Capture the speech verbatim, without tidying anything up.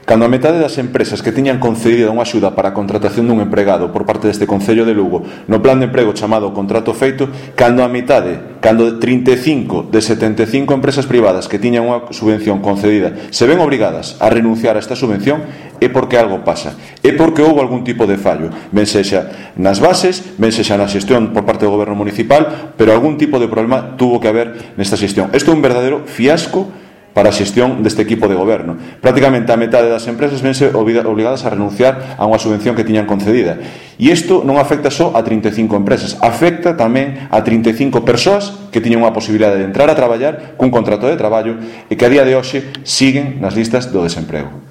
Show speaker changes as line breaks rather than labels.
cando a metade das empresas que tiñan concedida unha axuda para a contratación dun empregado por parte deste Concello de Lugo no plan de emprego chamado contrato feito, cando a metade, cando trinta e cinco de setenta e cinco empresas privadas que tiñan unha subvención concedida se ven obrigadas a renunciar a esta subvención, é porque algo pasa, é porque houve algún tipo de fallo, ben sexa nas bases, ben sexa na xestión por parte do goberno municipal, pero algún tipo de problema tuvo que haber nesta xestión. Isto é un verdadeiro fiasco para a xestión deste equipo de goberno. Prácticamente a metade das empresas vense obrigadas a renunciar a unha subvención que tiñan concedida. E isto non afecta só a trinta e cinco empresas, afecta tamén a trinta e cinco persoas que tiñan unha posibilidade de entrar a traballar cun contrato de traballo e que a día de hoxe siguen nas listas do desemprego.